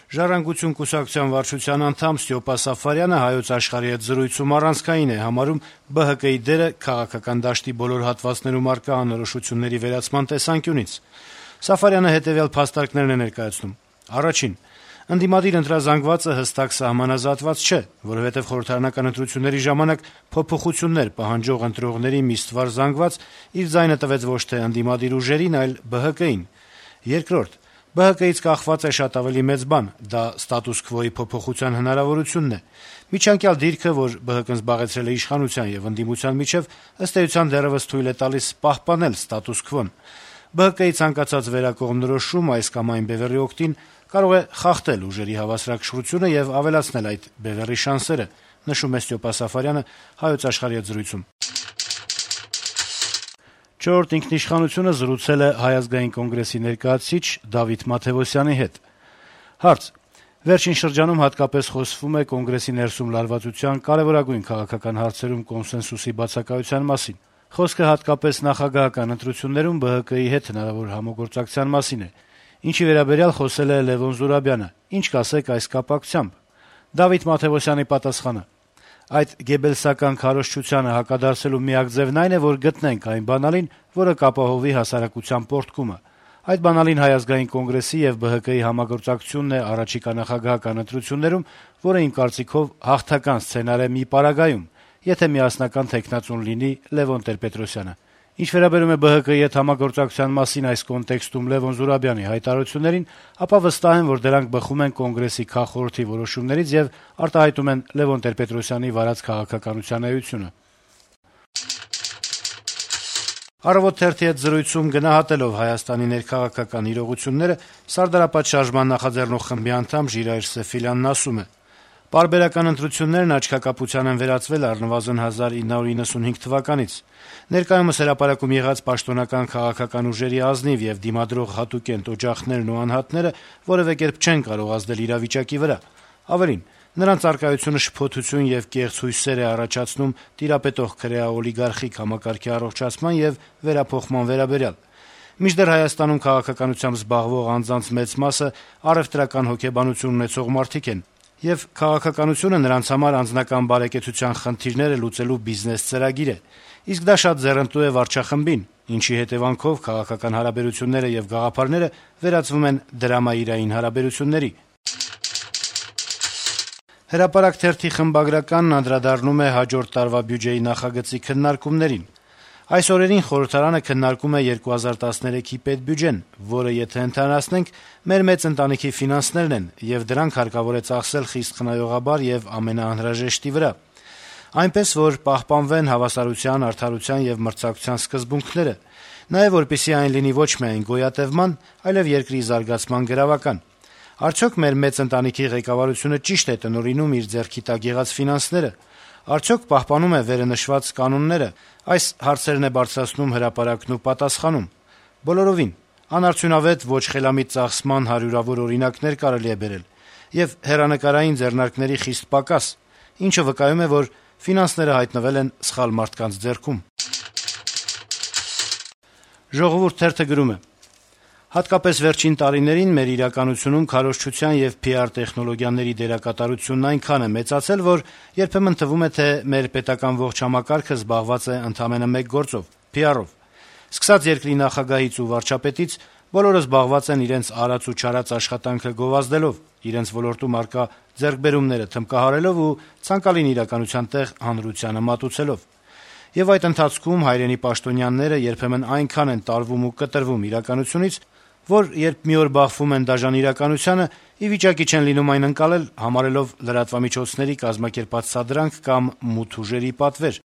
«Ժառանգություն» կուսակցության վարչության անդամ Ստյոպա Սաֆարյանը «Հայոց Աշխարհ»-ի հետ զրույցում առանցքային է համարում ԲՀԿ-ի դերը քաղաքական դաշտի բոլոր հատվածներում առկա անորոշությունների վերացման տեսանկյունից։ Սաֆարյանը հետեւյալ փաստարկներն է ներկայացնում. Առաջին. ընդդիմադիր ընտրազանգվածը հստակ սահմանազատված չէ, որովհետեւ խորհրդարանական ընտրությունների ժամանակ փոփոխություններ պահանջող ընտրողների մի ստվար զանգված իր ձայնը տվեց ոչ թե ընդդիմադիր ուժերին, այլ ԲՀԿ-ին։ Երկրորդ. ԲՀԿ-ից կախված է շատ ավելի մեծ բան, դա ստատուս քվոյի փոփոխության հնարավորությունն է։ Միջանկյալ դիրքը, որ ԲՀԿ-ն զբաղեցրել է իշխանության եւ ընդդիմության միջեւ, ըստ էության դեռեւս թույլ է տալիս պահպանել ստատուս քվոն։ ԲՀԿ-ի ցանկացած վերակողմնորոշում այս կամ այն բևեռի օգտին կարող է խախտել ուժերի հավասարակշռությունը եւ ավելացնել այդ բևեռի շանսերը, նշում է Ստյոպա Սաֆարյանը «Հայոց Աշխարհ»-ի հետ զրույցում։ «Չորրորդ ինքնիշխանություն»-ը զրուցել է Հայ ազգային կոնգրեսի ներկայացուցիչ Դավիթ Մաթեւոսյանի հետ։ Հարց. - Վերջին շրջանում հատկապես խոսվում է կոնգրեսի ներսում լարվածության կարեւորագույն քաղաքական հարցերում կոնսենսուսի բացակայության մասին։ Խոսքը հատկապես նախագահական ընտրություններում ԲՀԿ-ի հետ հնարավոր համագործակցության մասին է։ Ինչի վերաբերյալ խոսել է Լեւոն Զուրաբյանը։ Ինչ կասեք այս կապակցությամբ։ Դավիթ Մաթեւոսյանի պատասխանը. Այդ գեբելսական քարոզչությանը հակադարձելու միակ ձևն այն է, որ գտնենք այն բանալին, որը կապահովի հասարակության պոռթկումը։ Այդ բանալին Հայ ազգային կոնգրեսի եւ ԲՀԿ-ի համագործակցությունն է առաջիկա նախագահական ընտրություններում, որը իմ կարծիքով հաղթական սցենար է մի պարագայում, եթե միասնական թեկնածուն լինի Լեւոն Տեր-Պետրոսյանը։ Ինչ վերաբերում է ԲՀԿ-ի հետ համագործակցության մասին այս կոնտեքստում Լեւոն Զուրաբյանի հայտարարություններին, ապա վստահ եմ, որ դրանք բխում են կոնգրեսի քաղխորհրդի որոշումներից եւ արտահայտում են Լեւոն Տեր-Պետրոսյանի վարած քաղաքականության էությունը։ «Առավոտ» թերթի հետ զրույցում գնահատելով Հայաստանի ներքաղաքական իրողությունները Սարդարապատ շարժման նախաձեռնող խմբի անդամ Ժիրայր Սեֆիլյանն ասում է. «Պարբերական ընտրություններն աչքակապության են վերածվել առնվազն 1995 թվականից։ Ներկայումս հրապարակում եղած պաշտոնական քաղաքական ուժերի ազնիվ եւ դիմադրող հատուկենտ օջախներն ու անհատները որեւէ կերպ չեն կարող ազդել իրավիճակի վրա։ Ավելին, նրանց առկայությունը շփոթություն եւ կեղծ հույսեր է առաջացնում տիրապետող քրեա-օլիգարխիկ համակարգի առողջացման եւ վերափոխման վերաբերյալ։ Մինչդեռ Հայաստանում քաղաքականությամբ զբաղվող անձանց մեծ մասը առեւտրական հոգեբանություն ունեցող մարդիկ են, եւ քաղաքականությունը նրանց համար անձնական բարեկեցության խնդիրները լուծելու բիզնես ծրագիր է։ Իսկ դա շատ ձեռնտու է վարչախմբին, ինչի հետեւանքով քաղաքական հարաբերությունները եւ գաղափարները վերածվում են դրամայիրային հարաբերությունների»։ «Հրապարակ» թերթի խմբագրականն անդրադառնում է հաջորդ տարվա բյուջեի նախագծի քննարկումներին։ Այս օրերին խորհրդարանը քննարկում է 2013-ի պետբյուջեն, որը եթե ընդհանրացնենք, մեր մեծ ընտանիքի ֆինանսներն են, եւ դրանք հարկավոր է ծախսել խիստ խնայողաբար եւ ամենաանհրաժեշտի վրա, այնպես որ պահպանվեն հավասարության, արդարության եւ մրցակցության սկզբունքները, նաեւ որպեսզի այն լինի ոչ միայն գոյատևման, այլեւ երկրի զարգացման գրավական։ Արդյոք մեր մեծ ընտանիքի ղեկավարությունը ճիշտ է տնօրինում իր ձեռքի տակ եղած ֆինանսները։ Արդյոք պահպանում է վերնշված կանոնները։ Այս հարցերն է բարձրացնում «Հրապարակ»-ն ու պատասխանում. Բոլորովին անարդյունավետ ոչ խելամիտ ծախսման հարյուրավոր օրինակներ կարելի է բերել եւ հեռանկարային ձեռնարկների խիստ պակաս, ինչը վկայում է, որ ֆինանսները հայտնվել են սխալ մարդկանց ձեռքում։ «Ժողովուրդ» թերթը գրում է. հատկապես վերջին տարիներին մեր իրականությունում քարոզչության եւ PR տեխնոլոգիաների դերակատարությունն այնքան է մեծացել, որ երբեմն թվում է, թե մեր պետական ողջ համակարգը զբաղված է ընդամենը մեկ գործով՝ PR-ով։ Սկսած երկրի նախագահից ու վարչապետից բոլորը զբաղված են իրենց արած ու չարած աշխատանքը գովազդելով, իրենց ոլորտում առկա ձեռքբերումները թմկահարելով ու ցանկալին իրականության տեղ հանրությանը մատուցելով։ Եվ այդ ընթացքում հայրենի պաշտոնյաները երբեմն այնքան են տարվում ու կտրվում իրականությունից, որ երբ մի օր բախվում են դաժան իրականությանը, ի վիճակի չեն լինում այն ընկալել, համարելով լրատվամիջոցների կազմակերպած սադրանք կամ մութ ուժերի պատվեր։